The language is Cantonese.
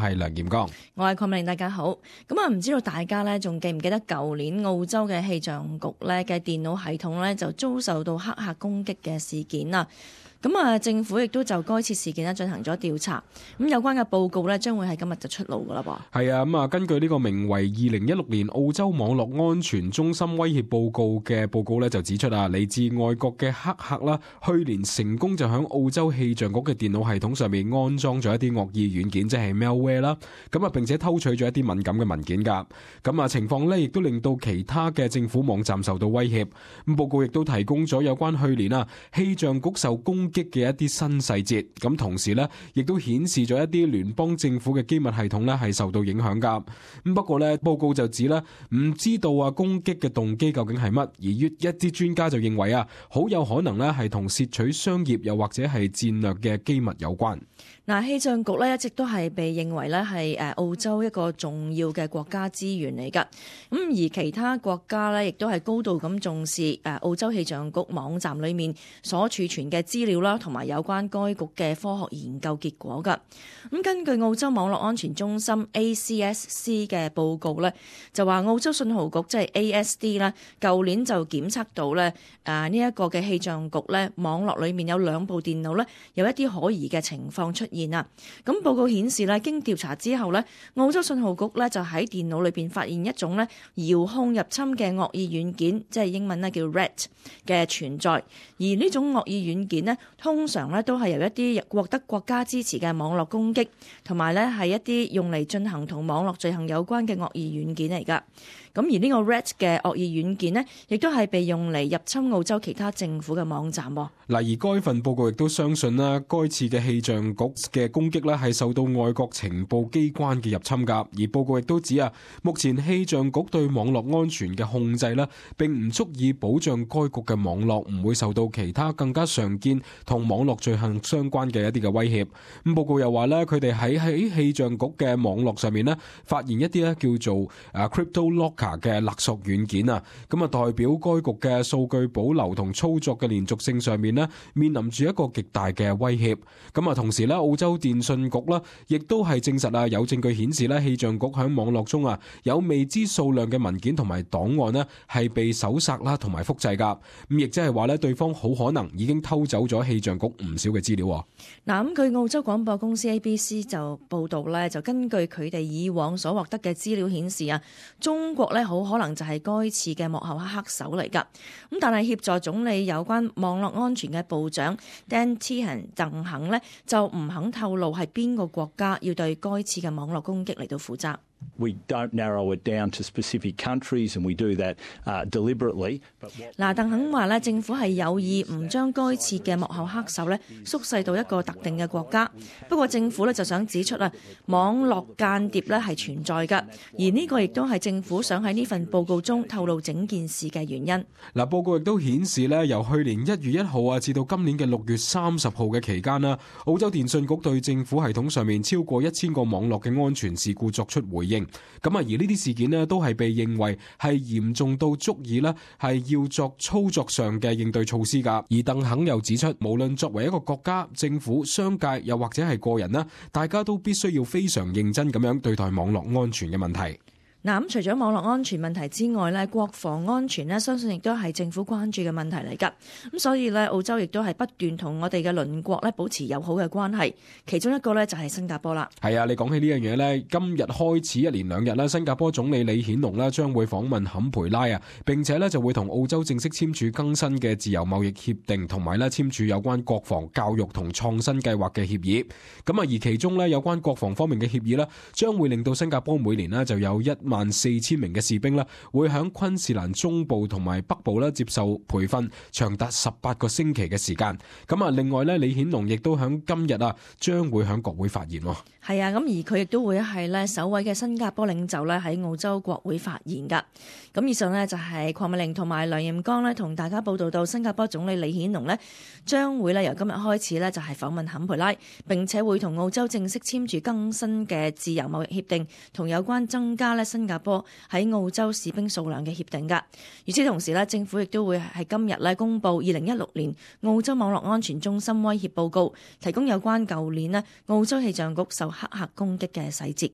係梁炎剛，我係鄺美玲，大家好。唔知道大家咧仲記唔記得舊年澳洲嘅氣象局咧嘅電腦系統咧就遭受到黑客攻擊嘅事件啊？政府亦都就該次事件咧進行咗調查，有關嘅報告咧將會喺今日就出爐噶啦噃。係啊，根據呢個名為2016年澳洲網絡安全中心威脅報告嘅報告咧就指出啊，嚟自外國嘅黑客啦，去年成功就響澳洲氣象局嘅電腦系統上面安裝咗一啲惡意軟件，即係 malware 啦，並且偷取咗一啲敏感嘅文件噶。情況咧亦都令到其他嘅政府網站受到威脅。報告亦都提供咗有關去年氣象局受攻擊嘅一啲新細節，同時咧亦都顯示咗一啲聯邦政府嘅機密系統咧係受到影響噶。不過咧報告就指咧唔知道攻擊嘅動機究竟係乜，而一啲專家就認為好有可能咧係同竊取商業又或者係戰略嘅機密有關。氣象局咧一直都係被認為咧係澳洲一個重要嘅國家資源嚟噶，而其他國家咧亦都係高度咁重視澳洲氣象局網站裏面所儲存嘅資料啦，同埋有關該局嘅科學研究結果噶。根據澳洲網絡安全中心 ACSC 嘅報告咧，就話澳洲信號局即係 ASD 啦，舊年就檢測到咧呢一個嘅氣象局咧網絡裏面有2部電腦咧有一啲可疑嘅情況出現啊。報告顯示咧，經調查之後咧，澳洲信號局咧就喺電腦裏邊發現一種咧遙控入侵嘅惡意軟件，即係英文咧叫 RAT 嘅存在。而呢種惡意軟件咧，通常咧都係由一啲獲得國家支持嘅網絡攻擊，同埋咧係一啲用嚟進行同網絡罪行有關嘅惡意軟件嚟噶。而呢個 RAT 嘅惡意軟件呢，亦都係被用嚟入侵澳洲其他政府嘅網站。而該份報告亦都相信啦，該次嘅氣象局嘅攻擊咧係受到外國情報機關嘅入侵噶。而報告亦都指目前氣象局對網絡安全嘅控制咧，並唔足以保障該局嘅網絡唔會受到其他更加常見同網絡罪行相關嘅一啲嘅威脅。報告又話咧，佢哋喺氣象局嘅網絡上面咧，發現一啲咧叫做Crypto Locker嘅勒索軟件代表該局嘅數據保留同操作嘅連續性上面咧，面臨住一個極大嘅威脅。同時咧，澳洲電信局亦都係證實有證據顯示咧，氣象局喺網絡中有未知數量嘅文件同埋檔案係被搜索啦同埋複製噶。亦即係話咧，對方好可能已經偷走咗氣象局唔少嘅資料。據澳洲廣播公司 ABC 就報道咧，就根據佢哋以往所獲得嘅資料顯示中國咧好可能就係該次嘅幕後黑手嚟噶。但係協助總理有關網絡安全嘅部長 Dan Tehan 鄧肯呢，就唔肯透露係邊個國家要對該次嘅網絡攻擊嚟到負責。We don't narrow it down to specific countries, and we do that deliberately. 鄧肯話咧，政府係有意唔將該次嘅幕後黑手咧縮細到一個特定嘅國家。不過政府咧就想指出網絡間諜咧係存在㗎，而呢個亦都係政府想喺呢份報告中透露整件事嘅原因。報告亦都顯示咧，由去年1月1號至到今年嘅6月30號嘅期間啦，澳洲電信局對政府系統上面超過1000個網絡嘅安全事故作出回應。而呢啲事件呢，都係被認為係嚴重到足以呢係要作操作上嘅應對措施噶。而鄧肯又指出，無論作為一個國家、政府、商界又或者係個人啦，大家都必須要非常認真咁樣對待網絡安全嘅問題。除咗網絡安全問題之外咧，國防安全咧，相信亦都係政府關注嘅問題嚟噶。所以咧，澳洲亦都係不斷同我哋嘅鄰國咧保持友好嘅關係。其中一個咧就係新加坡啦。係啊，你講起呢樣嘢咧，今日開始1連2日啦，新加坡總理李顯龍咧將會訪問坎培拉並且咧就會同澳洲正式簽署更新嘅自由貿易協定，同埋咧簽署有關國防、教育同創新計劃嘅協議。而其中咧有關國防方面嘅協議咧，將會令到新加坡每年咧就有14000名嘅士兵咧，會喺昆士蘭中部同埋北部咧接受培訓，長達18個星期嘅時間。另外咧，李顯龍亦都喺今日將會喺國會發言。係啊，而佢亦都會係咧首位嘅新加坡領袖咧喺澳洲國會發言噶。以上呢，就係鄺美玲同埋梁炎剛咧同大家報道到新加坡總理李顯龍咧將會咧由今日開始咧就係訪問坎培拉，並且會同澳洲正式簽署更新嘅自由貿易協定，同有關增加咧新新加坡喺澳洲士兵數量嘅協定㗎。與此同時咧，政府亦都會喺今日咧公布2016年澳洲網絡安全中心威脅報告，提供有關舊年咧澳洲氣象局受黑客攻擊嘅細節。